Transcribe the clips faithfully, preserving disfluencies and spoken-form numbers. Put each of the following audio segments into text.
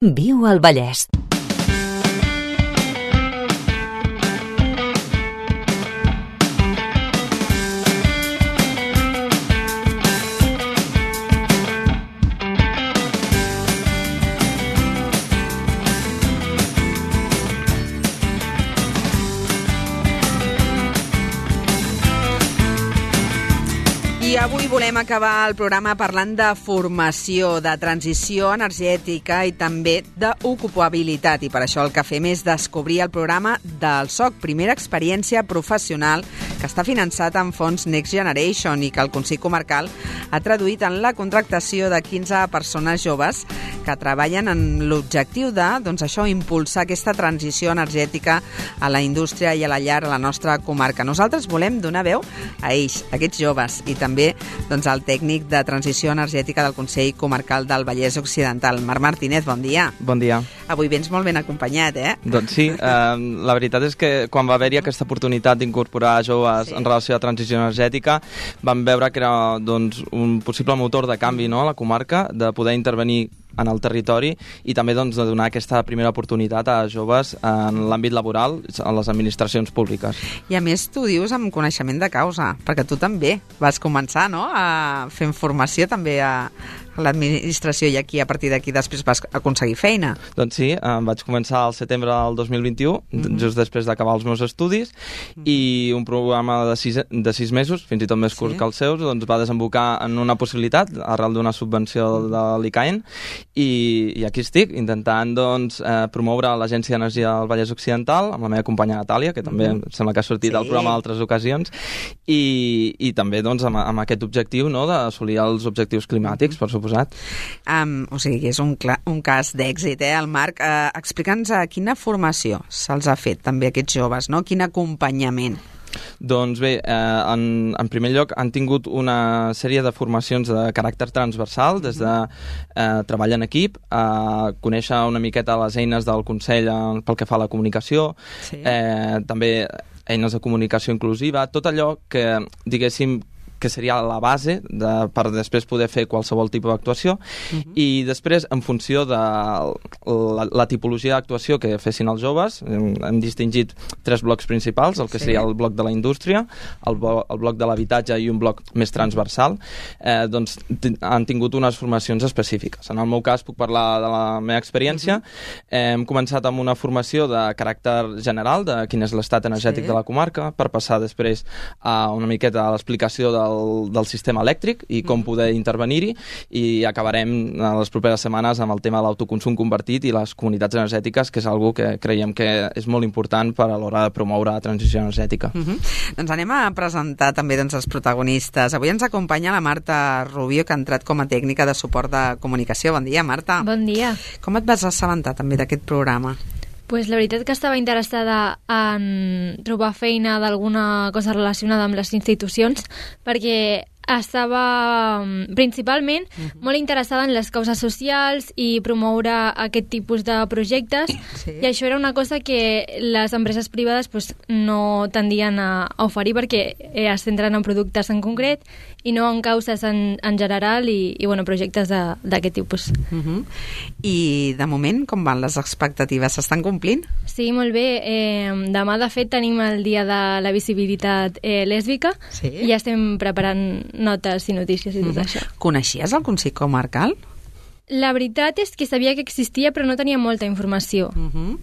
Viu al Vallès. I avui volem acabar el programa parlant de formació, de transició energètica i també d'ocupabilitat. I per això el que fem és descobrir el programa del S O C, primera experiència professional, que està finançat amb fons Next Generation i que el Consell Comarcal ha traduït en la contractació de quinze persones joves que treballen en l'objectiu de, doncs això, impulsar aquesta transició energètica a la indústria i a la llar a la nostra comarca. Nosaltres volem donar veu a ells, a aquests joves, i també doncs, el tècnic de transició energètica del Consell Comarcal del Vallès Occidental. Marc Martínez, bon dia. Bon dia. Avui vens molt ben acompanyat, eh? Doncs sí, eh, la veritat és que quan va haver-hi aquesta oportunitat d'incorporar joves sí. en relació a transició energètica, vam veure que era doncs, un possible motor de canvi, no?, a la comarca, de poder intervenir en el territori i també doncs, de donar aquesta primera oportunitat a joves en l'àmbit laboral a les administracions públiques. I a més tu dius amb coneixement de causa, perquè tu també vas començar, no?, a fer formació també a l'administració i aquí a partir d'aquí després vas aconseguir feina. Doncs sí, em vaig començar al setembre del dos mil vint-i-u, mm-hmm. just després d'acabar els meus estudis, mm-hmm. i un programa de sis, de sis mesos, fins i tot més curt sí. que els seus, doncs va desembocar en una possibilitat arrel d'una subvenció de l'I C A E N i, i aquí estic, intentant doncs, eh, promoure l'Agència d'Energia del Vallès Occidental amb la meva companya Natàlia, que també mm-hmm. sembla que ha sortit sí. al programa en altres ocasions, i, i també doncs, amb, amb aquest objectiu, no?, d'assolir els objectius climàtics, mm-hmm. per suposar. Um, o sigui, és un, un cas d'èxit, eh, el Marc. Uh, Explica'ns uh, quina formació se'ls ha fet també a aquests joves, no? Quin acompanyament? Doncs bé, eh, en, en primer lloc han tingut una sèrie de formacions de caràcter transversal, des de eh, treball en equip, a conèixer una miqueta les eines del Consell pel que fa a la comunicació, sí. eh, també eines de comunicació inclusiva, tot allò que, diguéssim, que seria la base de, per després poder fer qualsevol tipus d'actuació, uh-huh. i després, en funció de la, la tipologia d'actuació que fessin els joves, hem, hem distingit tres blocs principals, el que sí. seria el bloc de la indústria, el, el bloc de l'habitatge i un bloc més transversal, eh, doncs t- han tingut unes formacions específiques. En el meu cas puc parlar de la meva experiència. Uh-huh. Eh, hem començat amb una formació de caràcter general, de quin és l'estat energètic sí. de la comarca, per passar després a una miqueta a l'explicació del Del, del sistema elèctric i com poder intervenir-hi, i acabarem a les properes setmanes amb el tema de l'autoconsum convertit i les comunitats energètiques, que és algo que creiem que és molt important per a l'hora de promoure la transició energètica. Uh-huh. Doncs anem a presentar també doncs, els protagonistes. Avui ens acompanya la Marta Rubio, que ha entrat com a tècnica de suport de comunicació. Bon dia, Marta. Bon dia. Com et vas assabentar també d'aquest programa? Pues la veritat que estava interessada en trobar feina d'alguna cosa relacionada amb les institucions, perquè estava principalment uh-huh. molt interessada en les causes socials i promoure aquest tipus de projectes, sí. i això era una cosa que les empreses privades pues, no tendien a, a oferir, perquè es centren en productes en concret i no en causes en, en general i, i bueno, projectes d'aquest tipus. Uh-huh. I de moment com van les expectatives? S'estan complint? Sí, molt bé. Eh, demà de fet tenim el dia de la visibilitat eh, lèsbica, sí? i ja estem preparant notes i notícies i tot mm. això. Coneixies el Consell Comarcal? La veritat és que sabia que existia, però no tenia molta informació. Uh-huh.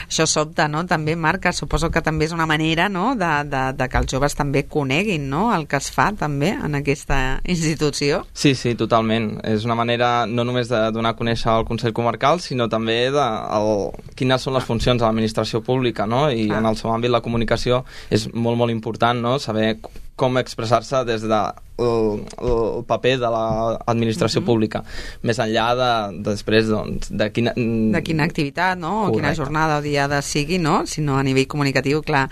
Això sobta, no?, també, Marc, suposo que també és una manera, no?, de, de, de que els joves també coneguin, no?, el que es fa també en aquesta institució. Sí, sí, totalment. És una manera no només de donar a conèixer el Consell Comarcal, sinó també de el, quines són les funcions de l'administració pública, no?, i ah. en el seu àmbit la comunicació és molt, molt important, no?, saber com expressar-se des de el, el paper de l'administració uh-huh. pública, més enllà de, de després doncs, de quina... de quina activitat, no?, o quina jornada o diada sigui, no?, sinó a nivell comunicatiu, clar.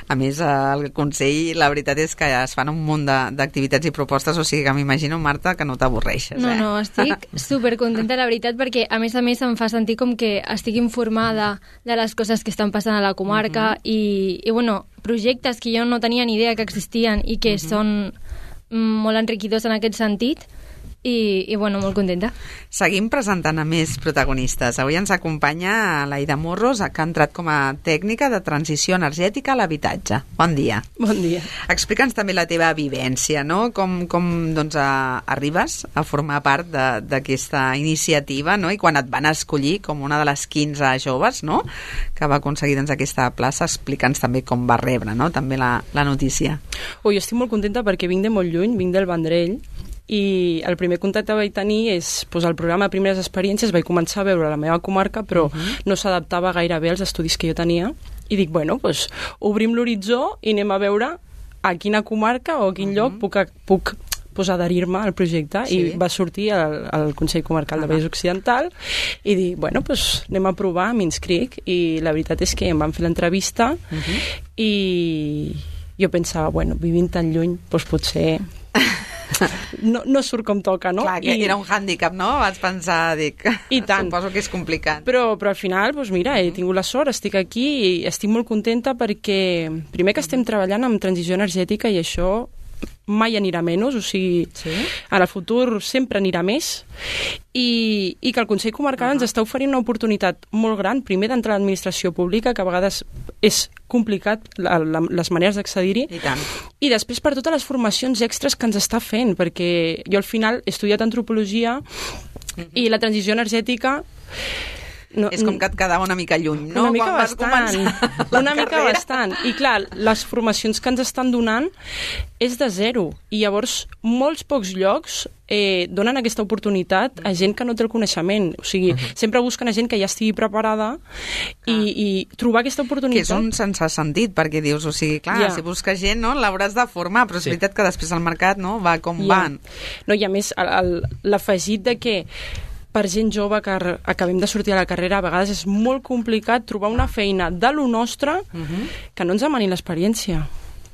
A més, el Consell, la veritat és que es fan un munt d'activitats i propostes, o sigui que m'imagino, Marta, que no t'avorreixes, no, eh? No, estic supercontenta, la veritat, perquè a més a més em fa sentir com que estic informada de les coses que estan passant a la comarca uh-huh. i, i, bueno, projectes que jo no tenia ni idea que existien i que uh-huh. són molt enriquidors en aquest sentit, i, i bueno, molt contenta. Seguim presentant a més protagonistes. Avui ens acompanya l'Aida Morros, que ha entrat com a tècnica de transició energètica a l'habitatge. Bon dia. Bon dia. Explica'ns també la teva vivència, no? Com, com doncs, a, arribes a formar part d'aquesta iniciativa, no? I quan et van escollir com una de les quinze joves, no?, que va aconseguir doncs, aquesta plaça, explica'ns també com va rebre, no?, també la, la notícia. Oh, jo estic molt contenta perquè vinc de molt lluny, vinc del Vendrell, i el primer contacte que vaig tenir és pues, el programa de Primeres Experiències. Vaig començar a veure la meva comarca, però uh-huh. no s'adaptava gaire bé als estudis que jo tenia, i dic, bueno, pues, obrim l'horitzó i anem a veure a quina comarca o a quin uh-huh. lloc puc, puc pues, adherir-me al projecte. Sí. I va sortir al, al Consell Comarcal uh-huh. de Vallès Occidental i dic, bueno, pues, anem a provar, m'inscric, i la veritat és que em van fer l'entrevista uh-huh. i jo pensava, bueno, vivint tan lluny, doncs potser no, no surt com toca, no? Clar, que I... era un hàndicap, no? Vaig pensar, dic, I tant. Suposo que és complicat. Però, però al final, doncs mira, he tingut la sort, estic aquí i estic molt contenta perquè, primer que estem treballant amb transició energètica i això mai anirà menys, o sigui, sí? en el futur sempre anirà més, i, i que el Consell Comarcal uh-huh. ens està oferint una oportunitat molt gran, primer d'entrar a l'administració pública, que a vegades és complicat la, la, les maneres d'accedir-hi, I tant. I després per totes les formacions extres que ens està fent, perquè jo al final he estudiat antropologia uh-huh. i la transició energètica no, és com que et quedava una mica lluny, no? Una mica Quan bastant, una mica bastant. I clar, les formacions que ens estan donant és de zero, i llavors molts pocs llocs eh, donen aquesta oportunitat a gent que no té el coneixement. O sigui, uh-huh. sempre busquen a gent que ja estigui preparada i, ah. i trobar aquesta oportunitat. Que és un sense sentit, perquè dius, o sigui, clar, yeah. si busques gent, no, l'hauràs de formar, però és sí. veritat que després el mercat no, va com yeah. van. No, i a més, l'afegit de que per gent jove que acabem de sortir a la carrera, a vegades és molt complicat trobar una feina de lo nostre uh-huh. que no ens demani l'experiència.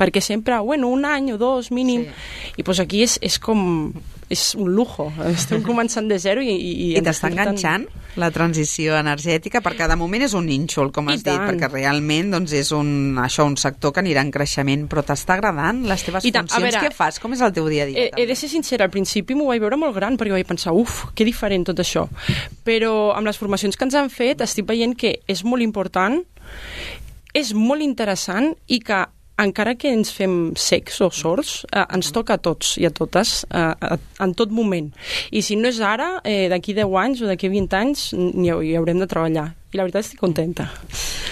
Perquè sempre, bueno, un any o dos mínim, sí. i doncs aquí és, és com... és un lujo. Estem començant de zero i... I, I t'està enganxant la transició energètica, perquè de moment és un nínxol, com has dit, perquè realment doncs, és un, això, un sector que anirà en creixement, però t'està agradant les teves I tant, funcions? veure, què fas? Com és el teu dia a dia? He, he de ser sincera, al principi m'ho vaig veure molt gran, perquè vaig pensar, uf, que diferent tot això. Però amb les formacions que ens han fet estic veient que és molt important, és molt interessant, i que encara que ens fem secs o sords, eh, ens toca a tots i a totes eh, en tot moment. I si no és ara, eh, d'aquí deu anys o d'aquí vint anys hi, hi haurem de treballar. I la veritat estic contenta.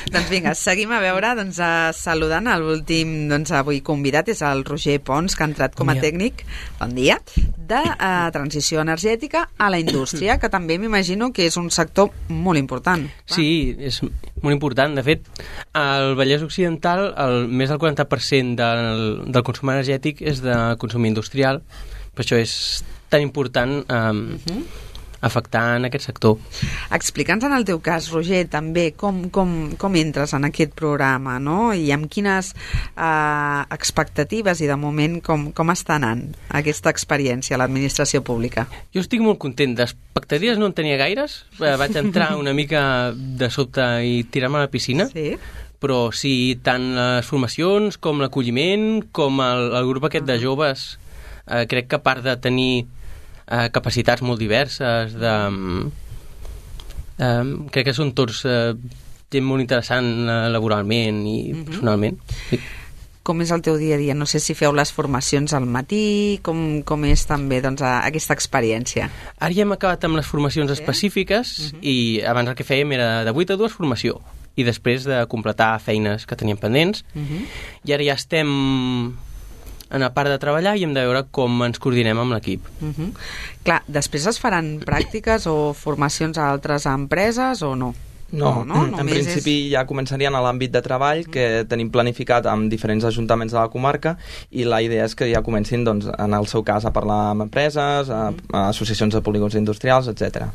Doncs vinga, seguim a veure, doncs, a, saludant l'últim doncs, avui convidat, és el Roger Pons, que ha entrat com a bon tècnic, bon dia, de uh, transició energètica a la indústria, que també m'imagino que és un sector molt important. Sí, és molt important. De fet, al Vallès Occidental el, més del quaranta per cent del, del consum energètic és de consum industrial, per això és tan important um, uh-huh. afectar en aquest sector. Explica'ns en el teu cas, Roger, també com, com, com entres en aquest programa, no? I amb quines eh, expectatives i de moment com, com està anant aquesta experiència a l'administració pública? Jo estic molt content. D'expectatives no en tenia gaires. Vaig entrar una mica de sobte i tirar-me a la piscina. Sí. Però sí, tant les formacions com l'acolliment, com el, el grup aquest de joves, eh, crec que a part de tenir Uh, capacitats molt diverses, de, um, um, crec que són tots uh, gent molt interessant uh, laboralment i uh-huh. personalment. Sí. Com és el teu dia a dia? No sé si feu les formacions al matí, com, com és també doncs, aquesta experiència? Ara ja hem acabat amb les formacions sí? específiques uh-huh. i abans el que fèiem era de vuit a dues formació i després de completar feines que teníem pendents uh-huh. i ara ja estem en a part de treballar i hem de veure com ens coordinem amb l'equip. Uh-huh. Clar, després es faran pràctiques o formacions a altres empreses o no? No, no, no? En principi és... ja començarien a l'àmbit de treball que tenim planificat amb diferents ajuntaments de la comarca i la idea és que ja comencin, doncs, en el seu cas, a parlar amb empreses, a, a associacions de polígons industrials, etcètera.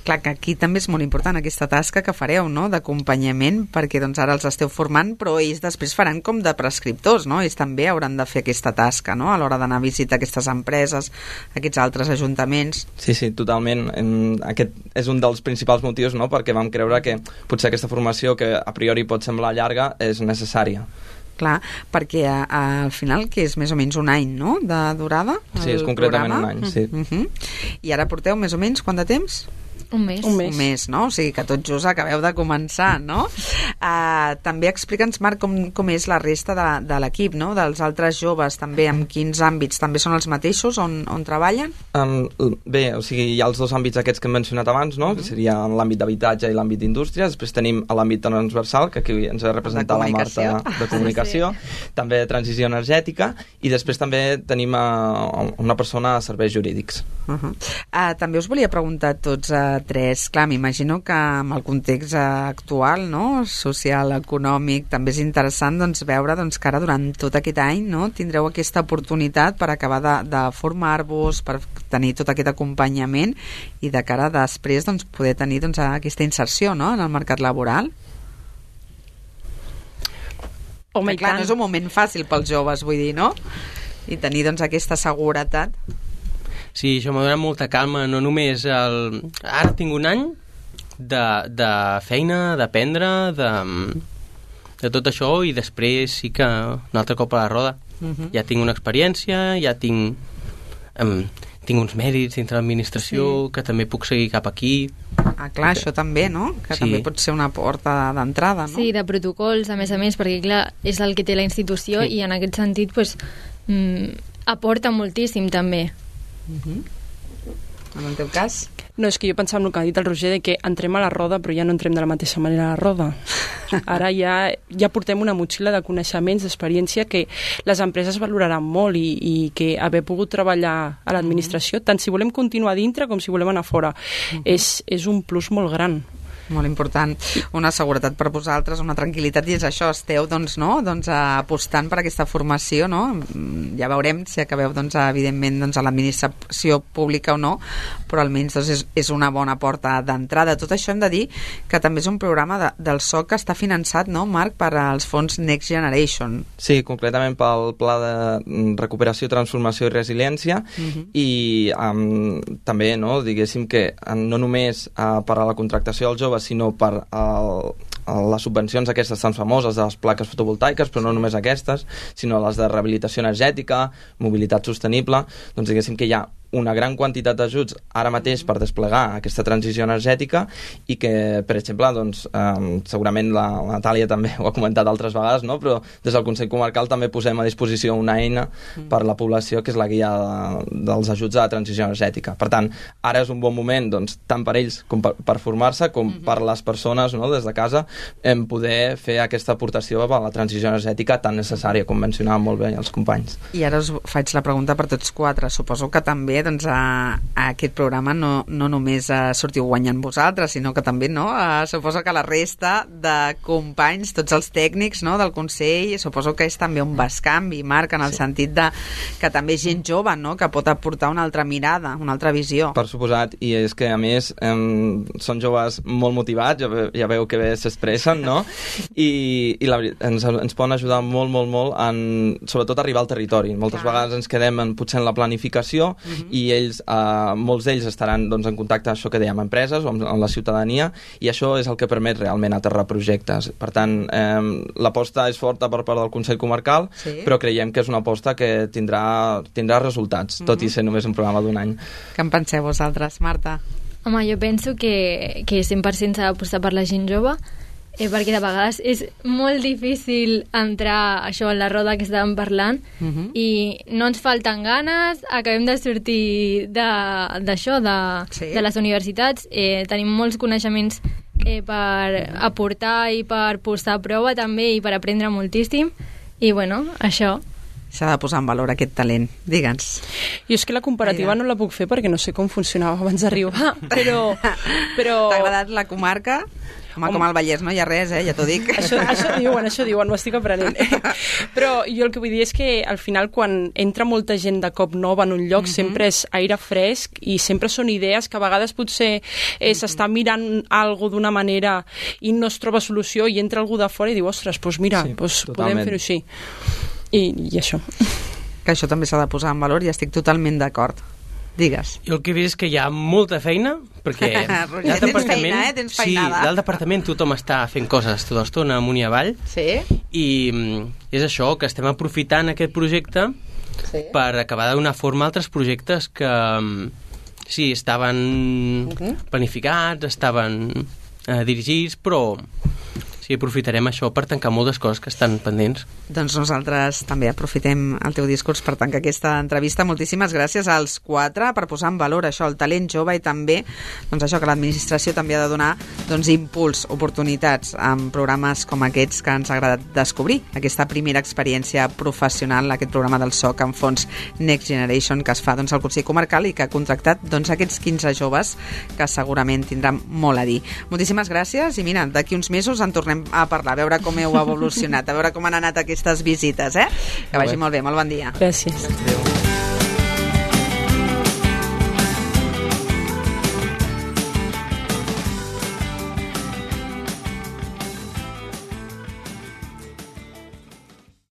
Clar, que aquí també és molt important aquesta tasca que fareu, no?, d'acompanyament, perquè doncs ara els esteu formant, però ells després faran com de prescriptors, no? Ells també hauran de fer aquesta tasca, no?, a l'hora d'anar a visitar aquestes empreses, aquests altres ajuntaments. Sí, sí, totalment. Aquest és un dels principals motius, no?, perquè vam creure que potser aquesta formació, que a priori pot semblar llarga, és necessària. Clar, perquè a, a, al final, que és més o menys un any, no?, de durada? Sí, és concretament programa. un any, sí. Uh -huh. I ara porteu més o menys quant de temps? Un mes. Un mes. Un mes, no? O sigui que tot just acabeu de començar, no? Uh, també explica'ns, Marc, com, com és la resta de, de l'equip, no?, dels altres joves, també, en quins àmbits? També són els mateixos on, on treballen? Um, bé, o sigui, hi ha els dos àmbits aquests que hem mencionat abans, no?, que seria l'àmbit d'habitatge i l'àmbit d'indústria. Després tenim l'àmbit transversal, que aquí ens ha representat la Marta, de comunicació, sí. També de transició energètica, i després també tenim uh, una persona a serveis jurídics. Uh -huh. uh, també us volia preguntar a tots uh, tres, clar, m'imagino que amb el context actual, no?, social, econòmic, també és interessant, doncs, veure doncs, que ara durant tot aquest any, no?, tindreu aquesta oportunitat per acabar de, de formar-vos, per tenir tot aquest acompanyament i de cara després doncs, poder tenir doncs, aquesta inserció, no?, en el mercat laboral. Home, clar, no és un moment fàcil pels joves, vull dir, no?, i tenir doncs, aquesta seguretat. Sí, això m'ha donat molta calma, no només el... Ara tinc un any de, de feina, d'aprendre, de, de tot això, i després sí que un altre cop a la roda. Uh-huh. Ja tinc una experiència, ja tinc, um, tinc uns mèrits dintre l'administració, sí. que també puc seguir cap aquí. Ah, clar, això també, no? Que sí. També pot ser una porta d'entrada, no? Sí, de protocols, a més a més, perquè clar, és el que té la institució, sí. I en aquest sentit pues, mm, aporta moltíssim també. Uh-huh. En el teu cas? No, és que jo pensava en el que ha dit el Roger, de que entrem a la roda però ja no entrem de la mateixa manera a la roda. Ara ja, ja portem una motxilla de coneixements, d'experiència que les empreses valoraran molt, i, i que haver pogut treballar a l'administració, tant si volem continuar dintre com si volem anar fora, uh-huh. és, és un plus molt gran. Molt important, una seguretat per vosaltres, una tranquil·litat, i és això, esteu doncs, no? doncs, apostant per aquesta formació, no? Ja veurem si acabeu doncs, evidentment doncs, a l'administració pública o no, però almenys doncs, és, és una bona porta d'entrada. Tot això hem de dir que també és un programa de, del S O C que està finançat, no, Marc, per als fons Next Generation. Sí, concretament pel Pla de Recuperació, Transformació i Resiliència, uh-huh. i um, també, no, diguéssim que no només uh, per a la contractació dels joves, sinó per el, les subvencions aquestes tan famoses de les plaques fotovoltaiques, però no només aquestes, sinó les de rehabilitació energètica, mobilitat sostenible, doncs diguéssim que hi ha una gran quantitat d'ajuts ara mateix per desplegar aquesta transició energètica, i que, per exemple, doncs, eh, segurament la, la Natàlia també ho ha comentat altres vegades, no? Però des del Consell Comarcal també posem a disposició una eina per la població, que és la guia de, dels ajuts a la transició energètica. Per tant, ara és un bon moment, doncs, tant per ells com per, per formar-se, com uh-huh. per les persones, no? Des de casa, en poder fer aquesta aportació a la transició energètica tan necessària, com mencionaven molt bé els companys. I ara us faig la pregunta per tots quatre. Suposo que també doncs, a, a aquest programa no, no només uh, sortiu guanyant vosaltres, sinó que també, no? Uh, suposo que la resta de companys, tots els tècnics, no?, del Consell, suposo que és també un bescanvi, Marc, en el sí. sentit de que també és gent jove, no?, que pot aportar una altra mirada, una altra visió. Per suposat, i és que a més eh, són joves molt motivats, ja, ve, ja veu que bé s'expressen, no? I, i la, ens, ens poden ajudar molt, molt, molt en, sobretot, arribar al territori. Moltes Clar. vegades ens quedem en, potser en la planificació, uh-huh. i ells, eh, molts d'ells estaran doncs, en contacte, això que dèiem, amb empreses o amb, amb la ciutadania, i això és el que permet realment aterrar projectes. Per tant, eh, l'aposta és forta per part del Consell Comarcal, sí. però creiem que és una aposta que tindrà, tindrà resultats, uh-huh. tot i ser només un programa d'un any. Què en penseu vosaltres, Marta? Home, jo penso que, que cent per cent s'ha d'apostar per la gent jove, Eh, perquè de vegades és molt difícil entrar això en la roda que estàvem parlant, uh-huh. i no ens falten ganes, acabem de sortir d'això, de, de, sí. de les universitats, eh, tenim molts coneixements eh, per aportar i per posar a prova també, i per aprendre moltíssim, i bueno, això. S'ha de posar en valor aquest talent. Digue'ns. Jo és que la comparativa no la puc fer perquè no sé com funcionava abans d'arribar, però... però... T'ha agradat la comarca? Home, Home, com al Vallès no hi ha res, eh? Ja t'ho dic. Això, això diuen, això diuen, ho estic aprenent. Però jo el que vull dir és que al final quan entra molta gent de cop nova en un lloc, uh-huh. sempre és aire fresc i sempre són idees que a vegades potser eh, s'està mirant algo d'una manera i no es troba solució i entra algú de fora i diu, ostres, doncs mira, sí, doncs podem fer-ho així. I, I això. Que això també s'ha de posar en valor i estic totalment d'acord. Digues. Jo el que he vist és que hi ha molta feina, perquè Roger, tens feina, eh? Tens feinada. Sí, al departament tothom està fent coses tota l'estona amunt i avall. Sí. I és això, que estem aprofitant aquest projecte sí. per acabar de donar forma a altres projectes que sí, estaven uh-huh. planificats, estaven eh, dirigits, però sí, aprofitarem això per tancar moltes coses que estan pendents. Doncs nosaltres també aprofitem el teu discurs per tancar aquesta entrevista. Moltíssimes gràcies als quatre per posar en valor això, el talent jove, i també doncs això, que l'administració també ha de donar doncs, impuls, oportunitats en programes com aquests que ens ha agradat descobrir. Aquesta primera experiència professional, aquest programa del S O C en fons Next Generation que es fa doncs, al Consell Comarcal i que ha contractat doncs, aquests quinze joves que segurament tindran molt a dir. Moltíssimes gràcies i mira, d'aquí uns mesos en tornem a parlar, a veure com heu evolucionat, a veure com han anat aquestes visites, eh? Que vagi molt bé, molt bon dia. Gràcies. Adéu.